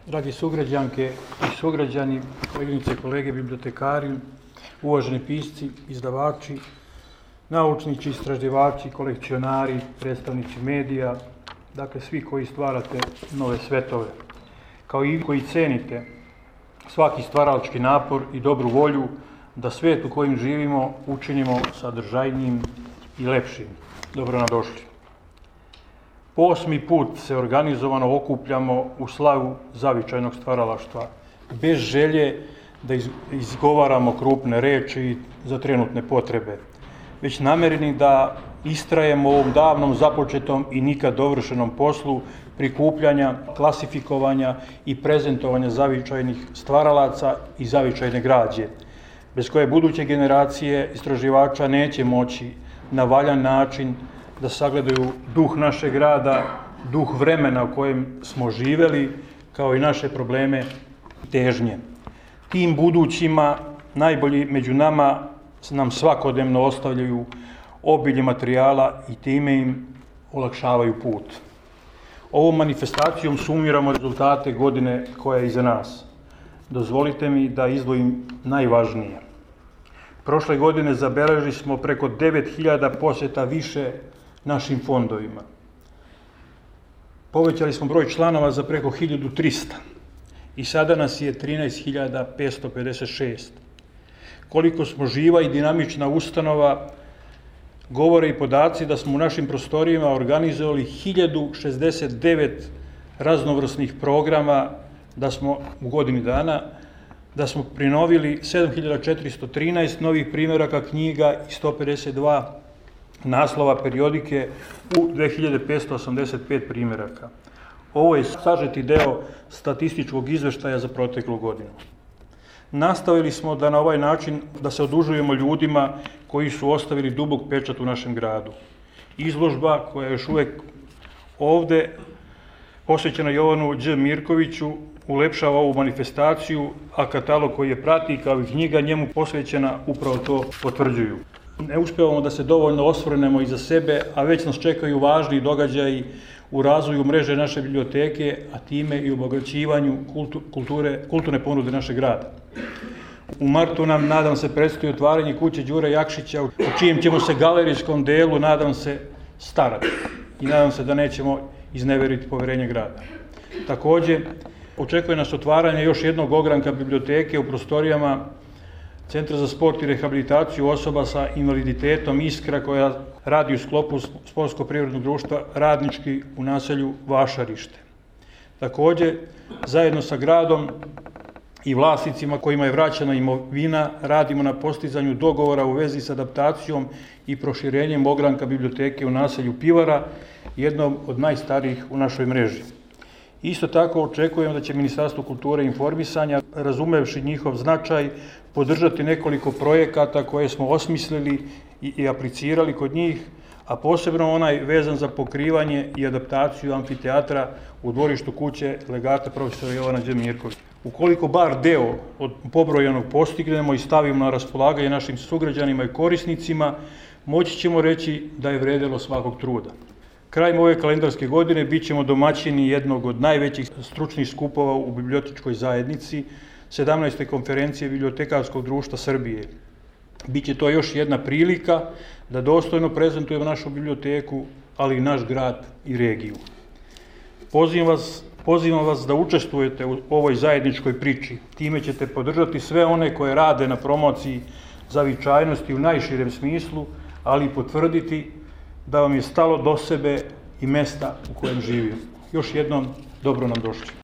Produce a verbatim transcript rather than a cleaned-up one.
Dragi sugrađanke i sugrađani, koleginice i kolege, bibliotekari, uvaženi pisci, izdavači, naučnici, istraživači, kolekcionari, predstavnici medija, dakle svi koji stvarate nove svetove, kao i koji cenite svaki stvaralački napor i dobru volju da svijet u kojem živimo učinimo sadržajnijim i lepšim. Dobro nam došli. Po osmi put se organizovano okupljamo u slavu zavičajnog stvaralaštva, bez želje da izgovaramo krupne reči za trenutne potrebe, već namereni da istrajemo u ovom davnom započetom i nikad dovršenom poslu prikupljanja, klasifikovanja i prezentovanja zavičajnih stvaralaca i zavičajne građe, bez koje buduće generacije istraživača neće moći na valjan način da sagledaju duh našeg rada, duh vremena u kojem smo živeli, kao i naše probleme i težnje. Tim budućima najbolji među nama nam svakodnevno ostavljaju obilje materijala i time im olakšavaju put. Ovom manifestacijom sumiramo rezultate godine koja je iza nas. Dozvolite mi da izdvojim najvažnije. Prošle godine zabeležili smo preko devet hiljada posjeta više našim fondovima. Povećali smo broj članova za preko hiljadu trista i sada nas je trinaest hiljada petsto pedeset šest. Koliko smo živa i dinamična ustanova, govore i podaci da smo u našim prostorijama organizovali hiljadu šezdeset devet raznovrsnih programa, da smo u godini dana, da smo prinovili sedam hiljada četiristo trinaest novih primjeraka knjiga i sto pedeset dva naslova periodike u dve hiljade petsto osamdeset pet primjeraka. Ovo je sažeti deo statističkog izveštaja za proteklu godinu. Nastavili smo da na ovaj način da se odužujemo ljudima koji su ostavili dubok pečat u našem gradu. Izložba koja je još uvek ovde, posvećena Jovanu Đ. Mirkoviću, ulepšava ovu manifestaciju, a katalog koji je prati kao i knjiga njemu posvećena upravo to potvrđuju. Ne uspevamo da se dovoljno osvrnemo iza sebe, a već nas čekaju važni događaji u razvoju mreže naše biblioteke, a time i u obogaćivanju kulture, kulturne ponude našeg grada. U martu nam, nadam se, predstoji otvaranje kuće Đure Jakšića, u čijem ćemo se galerijskom delu, nadam se, starati. I nadam se da nećemo izneveriti poverenje grada. Takođe, očekuje nas otvaranje još jednog ogranka biblioteke u prostorijama Centra za sport i rehabilitaciju osoba sa invaliditetom Iskra, koja radi u sklopu Sportsko-privrednog društva Radnički u naselju Vašarište. Takođe, zajedno sa gradom i vlasnicima kojima je vraćena imovina, radimo na postizanju dogovora u vezi sa adaptacijom i proširenjem ogranka biblioteke u naselju Pivara, jednom od najstarijih u našoj mreži. Isto tako očekujemo da će Ministarstvo kulture i informisanja, razumevši njihov značaj, podržati nekoliko projekata koje smo osmislili i aplicirali kod njih, a posebno onaj vezan za pokrivanje i adaptaciju amfiteatra u dvorištu kuće legata profesora Jovana Đ. Mirkovića. Ukoliko bar deo od pobrojanog postignemo i stavimo na raspolaganje našim sugrađanima i korisnicima, moći ćemo reći da je vredelo svakog truda. Krajem ove kalendarske godine bit ćemo domaćini jednog od najvećih stručnih skupova u bibliotičkoj zajednici, sedamnaeste konferencije Bibliotekarskog društva Srbije. Biće to još jedna prilika da dostojno prezentujemo našu biblioteku, ali i naš grad i regiju. Pozivam vas, pozivam vas da učestvujete u ovoj zajedničkoj priči. Time ćete podržati sve one koje rade na promociji zavičajnosti u najširem smislu, ali i potvrditi da vam je stalo do sebe i mesta u kojem živimo. Još jednom, dobro nam došli.